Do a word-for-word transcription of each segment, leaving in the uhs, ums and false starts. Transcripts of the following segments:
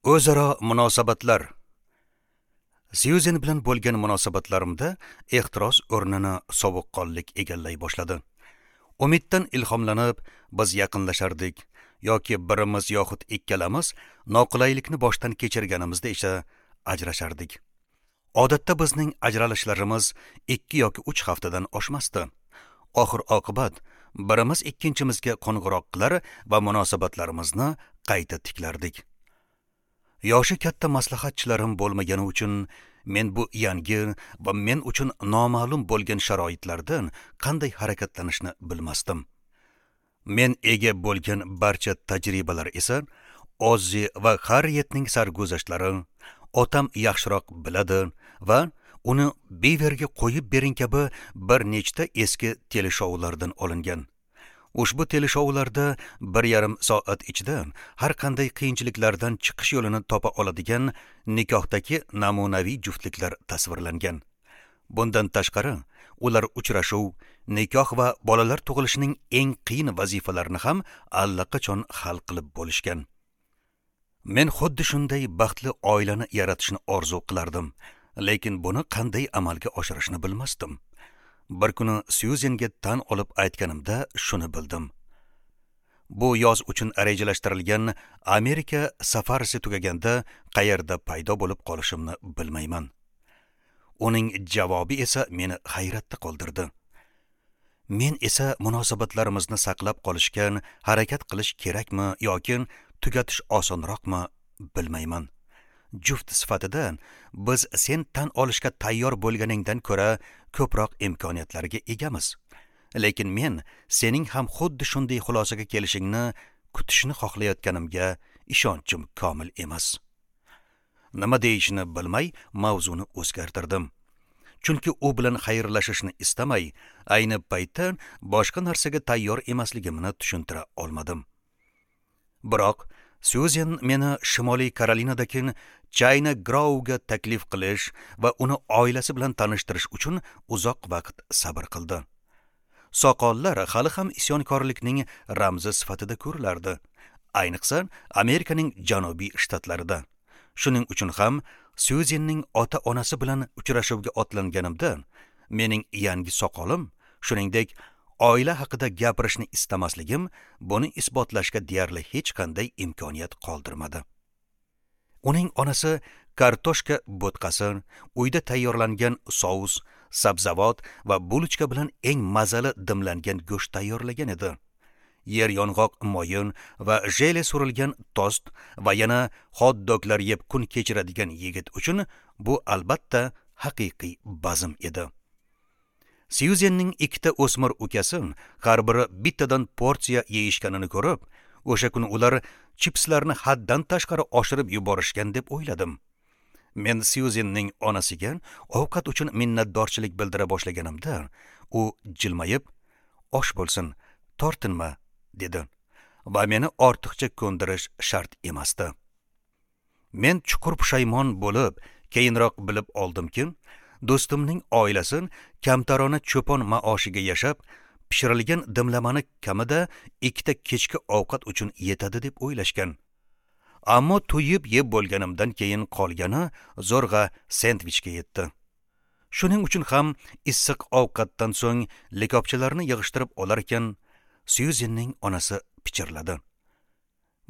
O'zaro munosabatlar. Syuzen bilan bo'lgan munosabatlarimda ehtiros o'rnini sovuqqonlik egallay boshladi. Umiddan ilhomlanib biz yaqinlashardik yoki birimiz yoxud ikkalamiz noqulaylikni boshdan kechirganimizda esa ajrashardik. Odatda bizning ajralishlarimiz ikki yoki uch haftadan oshmasdi. Oxir oqibat birimiz ikkinchimizga qo'ng'iroq qilar va munosabatlarimizni qayta tiklardik. Yoshi katta maslahatchilarim bo'lmagani uchun men bu yangi va men uchun noma'lum bo'lgan sharoitlardan qanday harakatlanishni bilmasdim. Men ega bo'lgan barcha tajribalar esa Ozzi va Harrietning sarguzashtlari, otam yaxshiroq biladi va uni Biverga qo'yib bering kabi bir nechta eski teleshoulardan olingan. Ushbu teleshoularda bir yarim soat ichida har qanday qiyinchiliklardan chiqish yo'lini topa oladigan nikohdagi namunaviy juftliklar tasvirlangan. Bundan tashqari, ular uchrashuv, nikoh va bolalar tug'ilishining eng qiyin vazifalarini ham allaqachon hal qilib bo'lishgan. Men xuddi shunday baxtli oilani yaratishni orzu qilardim, lekin buni qanday amalga oshirishni bilmasdim. Bir kuni Syuzenga tan olib aytganimda shuni bildim. Bu yoz uchun rejalashtirilgan Amerika safarisi tugaganda qayerda paydo bo'lib qolishimni bilmayman. Uning javobi esa meni hayratda qoldirdi. Men esa munosabatlarimizni saqlab qolishga harakat qilish kerakmi yoki tugatish osonroqmi bilmayman. Juft sifatida biz sen tan olishga tayyor bo'lganingdan ko'ra ko'proq imkoniyatlarga egamiz. Lekin men sening ham xuddi shunday xulosaga kelishingni kutishni xohlayotganimga ishonchim komil emas. Nima deyishini bilmay mavzuni o'zgartirdim. Chunki u bilan xayrlashishni istamay, ayni paytda boshqa narsaga tayyor emasligimni tushuntira olmadim. Biroq Syuzen meni Shimoliy Karolinadagi China Grovega taklif qilish va uni oilasi bilan tanishtirish uchun uzoq vaqt sabr qildi. Soqollar hali ham isyonkorlikning ramzi sifatida ko'rilardi, ayniqsa Amerikaning janubiy shtatlarida. Shuning uchun ham Syuzenning ota-onasi bilan uchrashuvga otlanganimda mening yangi soqolim, shuningdek oila haqida gapirishni istamasligim buni isbotlashga deyarli hech qanday imkoniyat qoldirmadi. Uning onasi kartoshka bo'tqasi, uyda tayyorlangan sous, sabzavot va bulochka bilan eng mazali dimlangan go'sht tayyorlagan edi. Yer yong'oq moyin va jele surilgan tost va yana hot-doglar yeb kun kechiradigan yigit uchun bu albatta haqiqiy bazm edi. Syuzenning ikkita o'smir ukasi har biri bittadan porsiya yeyishganini ko'rib, o'sha kuni ular chipslarni haddan tashqari oshirib yuborishgan deb o'yladim. Men Syuzenning onasiga ovqat uchun minnatdorchilik bildira boshlaganimda, u jilmayib, "Osh bo'lsin, tortinma" dedi va meni ortiqcha ko'ndirish shart emasdi. Men chuqur pushaymon bo'lib, keyinroq bilib oldimki, do'stimning oilasi kamtarona cho'pon maoshiga yashab, pishirilgan dimlamani kamida ikkita kechki ovqat uchun yetadi deb o'ylashgan. Ammo to'yib yeb bo'lganimdan keyin qolgani zo'rg'a sendvichga yetdi. Shuning uchun ham issiq ovqatdan so'ng likopchalarni yig'ishtirib olar ekan, Syuzenning onasi pichirladi.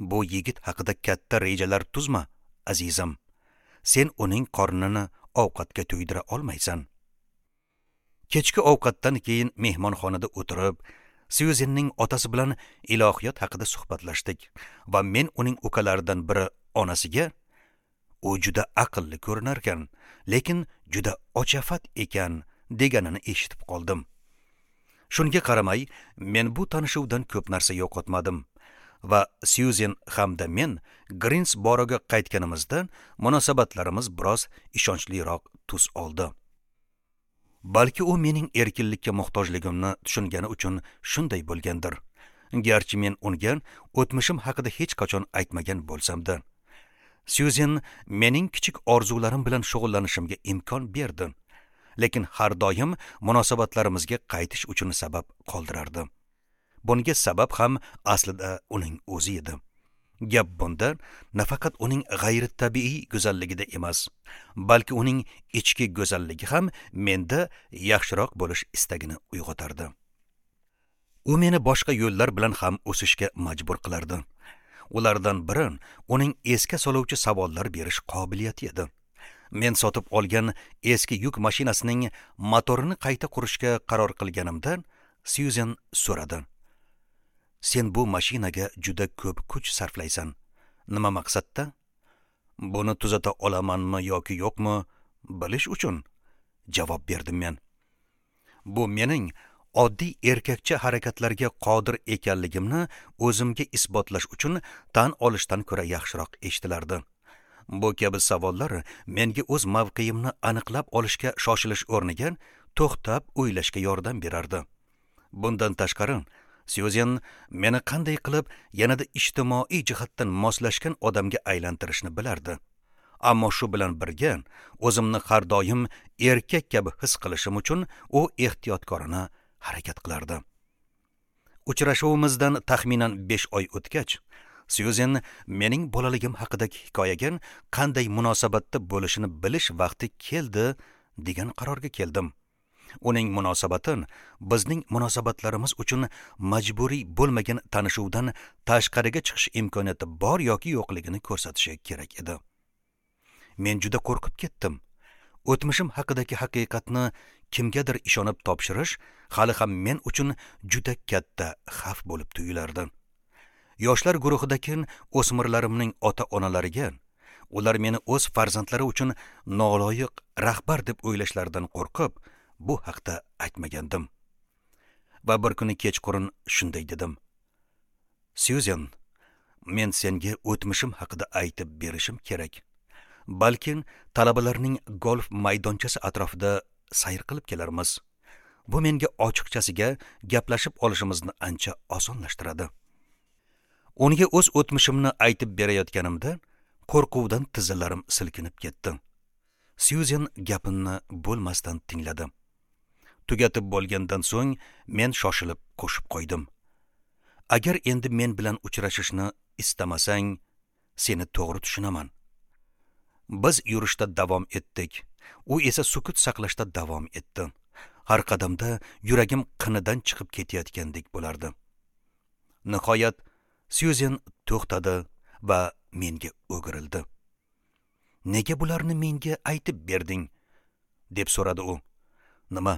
"Bu yigit haqida katta rejalar tuzma, azizim. Sen uning qornini ovqatga to'ydira olmaysan." Kechki ovqatdan keyin mehmonxonada o'tirib, Syuzenning otasi bilan ilohiyot haqida suhbatlashdik va men uning ukalaridan biri onasiga, "U juda aqlli ko'rinar ekan, lekin juda ochafat ekan" deganini eshitib qoldim. Shunga qaramay, men bu tanishuvdan ko'p narsa yo'qotmadim va Syuzen hamda men Grinsboroga qaytganimizda munosabatlarimiz biroz ishonchliroq tus oldi. Balki u mening erkinlikka muhtojligimni tushungani uchun shunday bo'lgandir. Garchi men unga o'tmishim haqida hech qachon aytmagan bo'lsam-da, Syuzen mening kichik orzularim bilan shug'ullanishimga imkon berdi, lekin har doim munosabatlarimizga qaytish uchun sabab qoldirardi. Bunga sabab ham aslida uning o'zi edi. Gap bunda nafaqat uning g'ayritabiiy go'zalligida emas, balki uning ichki go'zalligi ham menda yaxshiroq bo'lish istagini uyg'otardi. U meni boshqa yo'llar bilan ham o'sishga majbur qilardi. Ulardan biri uning esga soluvchi savollar berish qobiliyati edi. Men sotib olgan eski yuk mashinasining motorini qayta qurishga qaror qilganimda Syuzen so'radi: "Sen bu mashinaga juda ko'p kuch sarflaysan. Nima maqsadda? Buni tuzata olamanmi yoki yo'qmi bilish uchun," javob berdim men. Bu mening oddiy erkakcha harakatlarga qodir ekanligimni o'zimga isbotlash uchun tan olishdan ko'ra yaxshiroq eshitilardi. Bu kabi savollar menga o'z mavqeimni aniqlab olishga shoshilish o'rniga to'xtab o'ylashga yordam berardi. Bundan tashqari, Syuzen meni qanday qilib yanada ijtimoiy jihatdan moslashgan odamga aylantirishni bilardi. Ammo shu bilan birga o'zimni har doim erkak kabi his qilishim uchun u ehtiyotkorona harakat qilardi. Uchrashuvimizdan taxminan besh oy o'tgach, Syuzen mening bolaligim haqidagi hikoyaga qanday munosabatda bo'lishini bilish vaqti keldi degan qarorga keldim. Uning munosabati bizning munosabatlarimiz uchun majburiy bo'lmagan tanishuvdan tashqariga chiqish imkoniyati bor yoki yo'qligini ko'rsatishi kerak edi. Men juda qo'rqib ketdim. O'tmishim haqidagi haqiqatni kimgadir ishonib topshirish hali ham men uchun juda katta xavf bo'lib tuyulardi. Yoshlar guruhidagi o'smirlarimning ota-onalariga ular meni o'z farzandlari uchun noloyiq rahbar deb o'ylashlaridan qo'rqib, bu haqda aytmagandim. Va bir kuni kechqurun shunday dedim: "Syuzen, men senga o'tmishim haqida aytib berishim kerak. Balki talabalarning golf maydonchasi atrofida sayr qilib kelarmiz. Bu menga ochiqchasiga gaplashib olishimizni ancha osonlashtiradi." Unga o'z o'tmishimni aytib berayotganimda qo'rquvdan tizzalarim silkinib ketdi. Syuzen gapimni bo'lmasdan tingladi. Tugatib bo'lgandan so'ng men shoshilib qo'shib qo'ydim: "Agar endi men bilan uchrashishni istamasang, seni to'g'ri tushunaman." Biz yurishda davom etdik. U esa sukut saqlashda davom etdi. Har qadamda yuragim qinidan chiqib ketayotgandek bo'lardi. Nihoyat Syuzen to'xtadi va menga o'girildi. "Nega bularni menga aytib berding?" deb so'radi u. "Nima,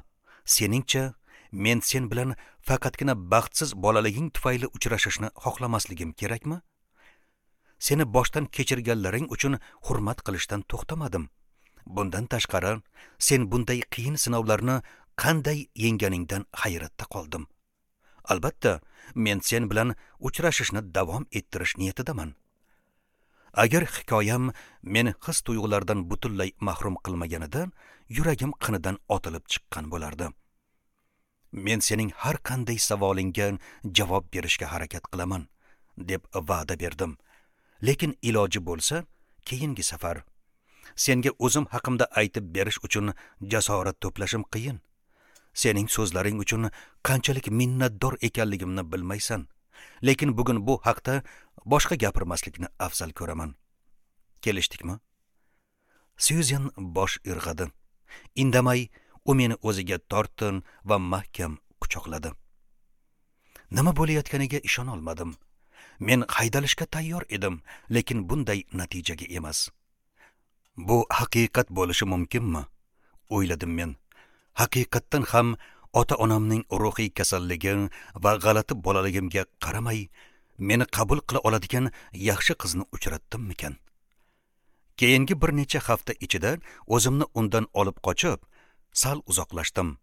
seningcha men sen bilan faqatgina baxtsiz bolaliging tufayli uchrashishni xohlamasligim kerakmi? Seni boshdan kechirganlaring uchun hurmat qilishdan to'xtamadim. Bundan tashqari, sen bunday qiyin sinovlarni qanday yengganingdan hayratda qoldim. Albatta, men sen bilan uchrashishni davom ettirish niyatidaman. Agar hikoyam meni his tuyg'ulardan butunlay mahrum qilmaganida, yuragim qinidan otilib chiqqan bo'lardi. Men sening har qanday savolingga javob berishga harakat qilaman, deb va'da berdim. Lekin iloji bo'lsa, keyingi safar senga o'zim haqimda aytib berish uchun jasorat to'plashim qiyin. Sening so'zlaring uchun qanchalik minnatdor ekanligimni bilmaysan. Lekin bugun bu haqda boshqa gapirmaslikni afzal ko'raman. Kelishdikmi?" Syuzen bosh irg'adi. Indamay u meni o'ziga tortdi va mahkam quchoqladi. Nima bo'layotganiga ishona olmadim. Men haydalishga tayyor edim, lekin bunday natijaga emas. Bu haqiqat bo'lishi mumkinmi? O'yladim men. Haqiqatdan ham ota-onamning ruhiy kasalligi va g'alati bolaligimga qaramay, meni qabul qila oladigan yaxshi qizni uchratdimmikan? Keyingi bir necha hafta ichida o'zimni undan olib qochib, sal uzoqlashdim.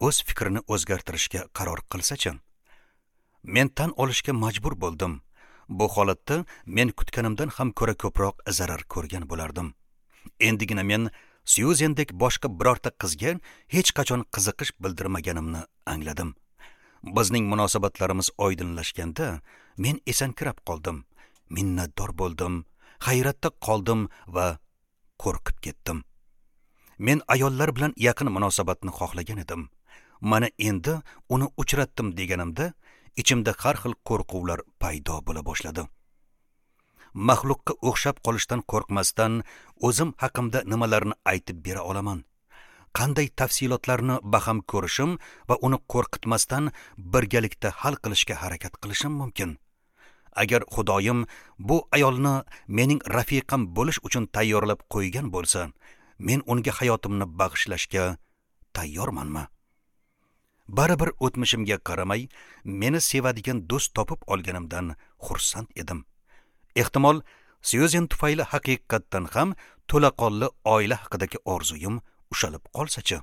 O'z fikrini o'zgartirishga qaror qilsa-chi? Men tan olishga majbur bo'ldim. Bu holatda men kutganimdan ham ko'ra ko'proq zarar ko'rgan bo'lardim. Endigina men Syuzendek boshqa birorta qizga hech qachon qiziqish bildirmaganimni angladim. Bizning munosabatlarimiz oydinlashganda men esankirab qoldim, minnatdor bo'ldim, hayratda qoldim va qo'rqib ketdim. Men ayollar bilan yaqin munosabatni xohlagan edim. Mana endi uni uchratdim deganimda ichimda har xil qo'rquvlar paydo bo'la boshladi. Maxluqqa o'xshab qolishdan qo'rqmasdan o'zim haqimda nimalarni aytib bera olaman? Qanday tafsilotlarni baham ko'rishim va uni qo'rqitmasdan birgalikda hal qilishga harakat qilishim mumkin? Agar Xudoyim bu ayolni mening rafiqam bo'lish uchun tayyorlab qo'ygan bo'lsa, men unga hayotimni bag'ishlashga tayyormanmi? Baribir o'tmishimga qaramay, meni sevadigan do'st topib olganimdan xursand edim. Ehtimol, Syuzen tufayli haqiqatdan ham to'laqonli oila haqidagi orzuyim ushalib qolsa-chi?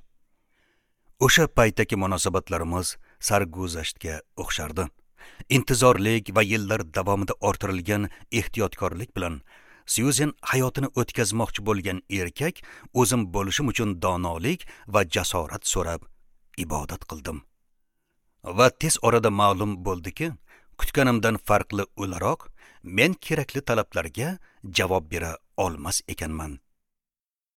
O'sha paytdagi munosabatlarimiz sarguzashtga o'xshardi. Intizorlik va yillar davomida orttirilgan ehtiyotkorlik bilan Syuzen hayotini o'tkazmoqchi bo'lgan erkak o'zim bo'lishim uchun donolik va jasorat so'rab ibodat qildim. Va tez orada ma'lum bo'ldiki, kutganimdan farqli o'laroq men kerakli talablarga javob bera olmas ekanman.